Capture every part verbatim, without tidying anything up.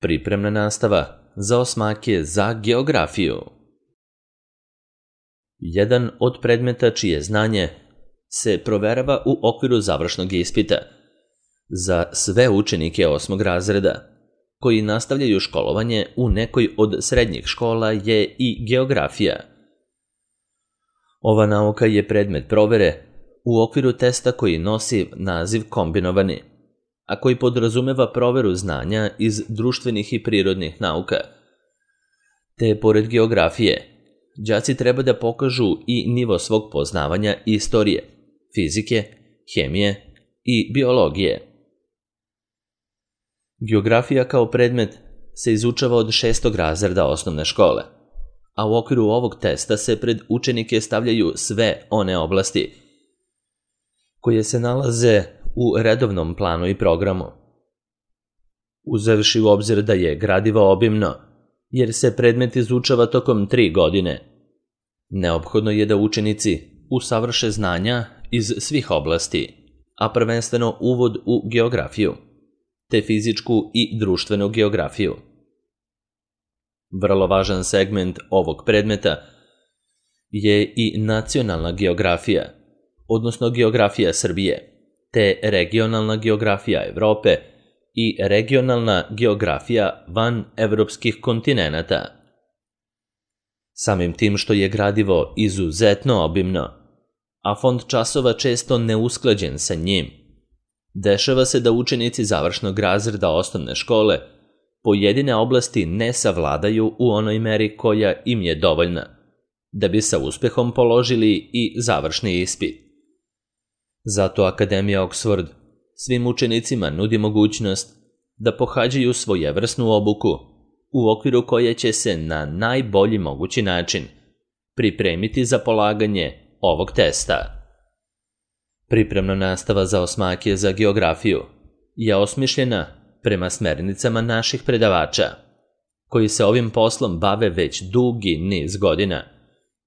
Pripremna nastava za osmake za geografiju. Jedan od predmeta čije znanje se proverava u okviru završnog ispita za sve učenike osmog razreda koji nastavljaju školovanje u nekoj od srednjih škola je i geografija. Ova nauka je predmet provere u okviru testa koji nosi naziv kombinovani, a koji podrazumeva proveru znanja iz društvenih i prirodnih nauka. Te, pored geografije, đaci treba da pokažu i nivo svog poznavanja istorije, fizike, hemije i biologije. Geografija kao predmet se izučava od šestog razreda osnovne škole, a u okviru ovog testa se pred učenike stavljaju sve one oblasti koje se nalaze u redovnom planu i programu. Uzevši u obzir da je gradivo obimno, jer se predmet izučava tokom tri godine, neophodno je da učenici usavrše znanja iz svih oblasti, a prvenstveno uvod u geografiju, te fizičku i društvenu geografiju. Vrlo važan segment ovog predmeta je i nacionalna geografija, odnosno geografija Srbije, te regionalna geografija Evrope i regionalna geografija van evropskih kontinenata. Samim tim što je gradivo izuzetno obimno, a fond časova često neusklađen sa njim, dešava se da učenici završnog razreda osnovne škole pojedine oblasti ne savladaju u onoj meri koja im je dovoljna, da bi sa uspehom položili i završni ispit. Zato Akademija Oxford svim učenicima nudi mogućnost da pohađaju svojevrsnu obuku u okviru koje će se na najbolji mogući način pripremiti za polaganje ovog testa. Pripremna nastava za osmake za geografiju je osmišljena prema smernicama naših predavača, koji se ovim poslom bave već dugi niz godina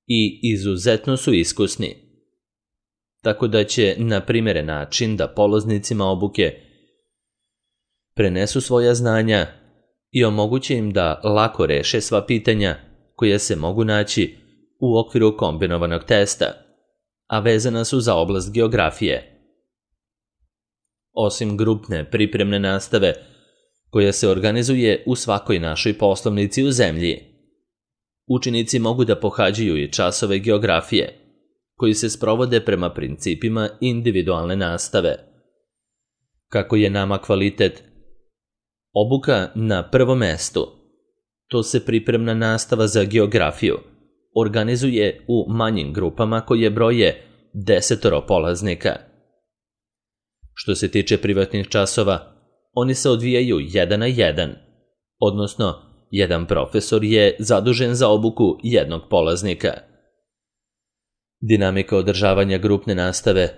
i izuzetno su iskusni, tako da će na primjeren način da polaznicima obuke prenesu svoja znanja i omoguće im da lako reše sva pitanja koja se mogu naći u okviru kombinovanog testa, a vezana su za oblast geografije. Osim grupne pripremne nastave, koja se organizuje u svakoj našoj poslovnici u zemlji, učenici mogu da pohađaju i časove geografije, koji se sprovode prema principima individualne nastave. Kako je nama kvalitet obuka na prvom mestu, to se pripremna nastava za geografiju organizuje u manjim grupama koje broje desetoro polaznika. Što se tiče privatnih časova, oni se odvijaju jedan na jedan, odnosno jedan profesor je zadužen za obuku jednog polaznika. Dinamika održavanja grupne nastave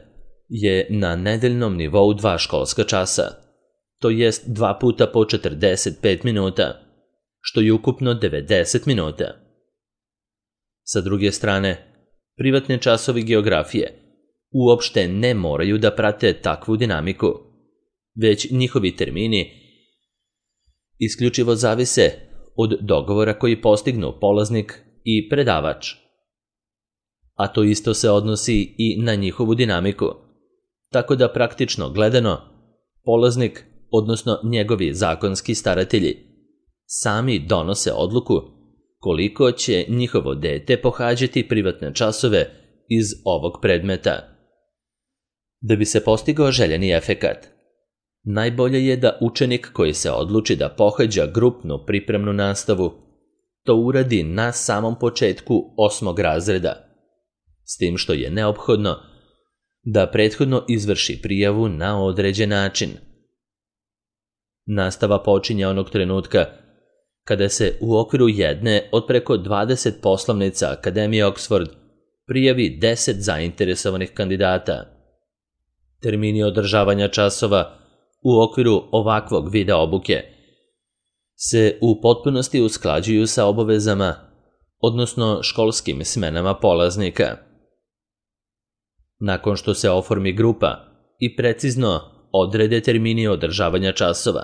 je na nedeljnom nivou dva školska časa, to jest dva puta po četrdeset pet minuta, što je ukupno devedeset minuta. Sa druge strane, privatne časovi geografije uopšte ne moraju da prate takvu dinamiku, već njihovi termini isključivo zavise od dogovora koji postignu polaznik i predavač. A to isto se odnosi i na njihovu dinamiku, tako da praktično gledano, polaznik, odnosno njegovi zakonski staratelji, sami donose odluku koliko će njihovo dete pohađati privatne časove iz ovog predmeta. Da bi se postigao željeni efekat, najbolje je da učenik koji se odluči da pohađa grupnu pripremnu nastavu to uradi na samom početku osmog razreda, s tim što je neophodno da prethodno izvrši prijavu na određen način. Nastava počinje onog trenutka kada se u okviru jedne od preko dvadeset poslovnica Akademije Oxford prijavi deset zainteresovanih kandidata. Termini održavanja časova u okviru ovakvog vida obuke se u potpunosti usklađuju sa obavezama, odnosno školskim smenama polaznika. Nakon što se oformi grupa i precizno odrede termini održavanja časova,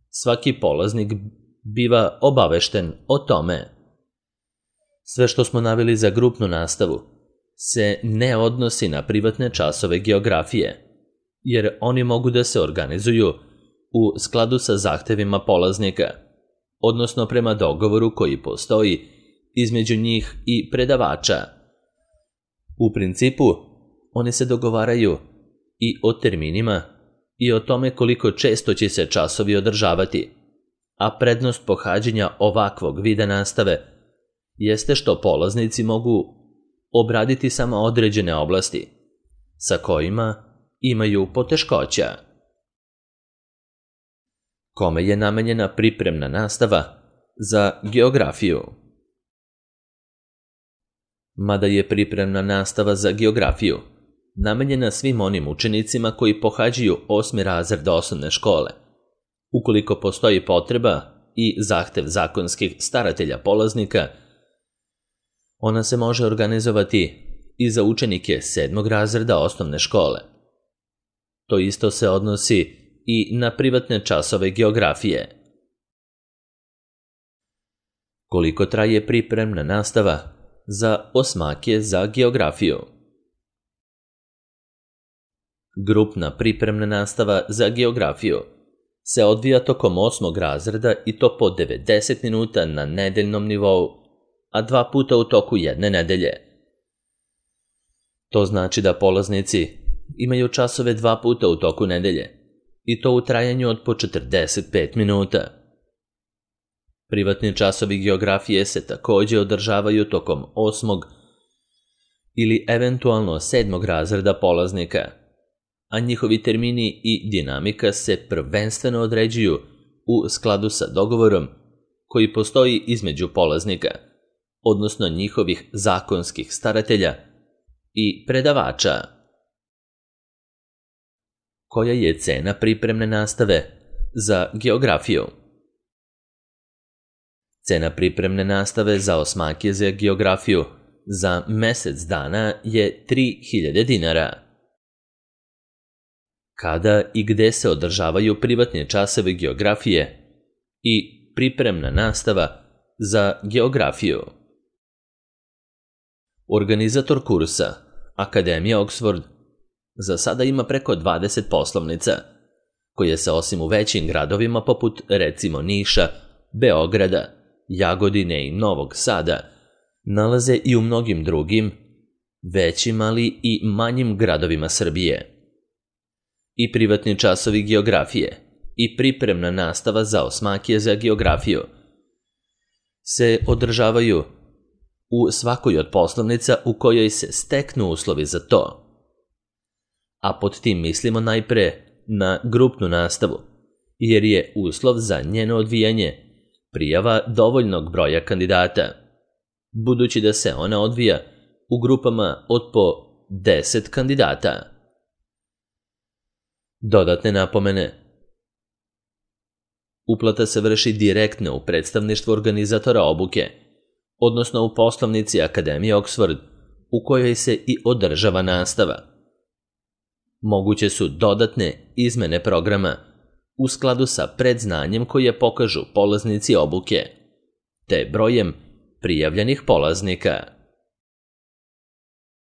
svaki polaznik biva obavešten o tome. Sve što smo naveli za grupnu nastavu se ne odnosi na privatne časove geografije, jer oni mogu da se organizuju u skladu sa zahtevima polaznika, odnosno prema dogovoru koji postoji između njih i predavača. U principu, oni se dogovaraju i o terminima i o tome koliko često će se časovi održavati, a prednost pohađanja ovakvog vida nastave jeste što polaznici mogu obraditi samo određene oblasti, sa kojima imaju poteškoća. Kome je namenjena pripremna nastava za geografiju? Mada je pripremna nastava za geografiju namenjena svim onim učenicima koji pohađaju osmi razred osnovne škole, ukoliko postoji potreba i zahtev zakonskih staratelja polaznika, ona se može organizovati i za učenike sedmog razreda osnovne škole. To isto se odnosi i na privatne časove geografije. Koliko traje pripremna nastava za osmake za geografiju? Grupna pripremna nastava za geografiju se odvija tokom osmog razreda i to po devedeset minuta na nedeljnom nivou, a dva puta u toku jedne nedelje. To znači da polaznici imaju časove dva puta u toku nedelje, i to u trajanju od po četrdeset pet minuta. Privatni časovi geografije se takođe održavaju tokom osmog ili eventualno sedmog razreda polaznika, a njihovi termini i dinamika se prvenstveno određuju u skladu sa dogovorom koji postoji između polaznika, odnosno njihovih zakonskih staratelja i predavača. Koja je cena pripremne nastave za geografiju? Cena pripremne nastave za osmake za geografiju za mesec dana je tri hiljade dinara. Kada i gde se održavaju privatni časovi geografije i pripremna nastava za geografiju? Organizator kursa, Akademija Oxford, za sada ima preko dvadeset poslovnica, koje se osim u većim gradovima poput recimo Niša, Beograda, Jagodine i Novog Sada, nalaze i u mnogim drugim, većim ali i manjim gradovima Srbije. I privatni časovi geografije i pripremna nastava za osmake za geografiju se održavaju u svakoj od poslovnica u kojoj se steknu uslovi za to. A pod tim mislimo najpre na grupnu nastavu, jer je uslov za njeno odvijanje prijava dovoljnog broja kandidata, budući da se ona odvija u grupama od po deset kandidata. Dodatne napomene. Uplata se vrši direktno u predstavništvu organizatora obuke, odnosno u poslovnici Akademije Oxford, u kojoj se i održava nastava. Moguće su dodatne izmene programa u skladu sa predznanjem koje pokažu polaznici obuke, te brojem prijavljenih polaznika.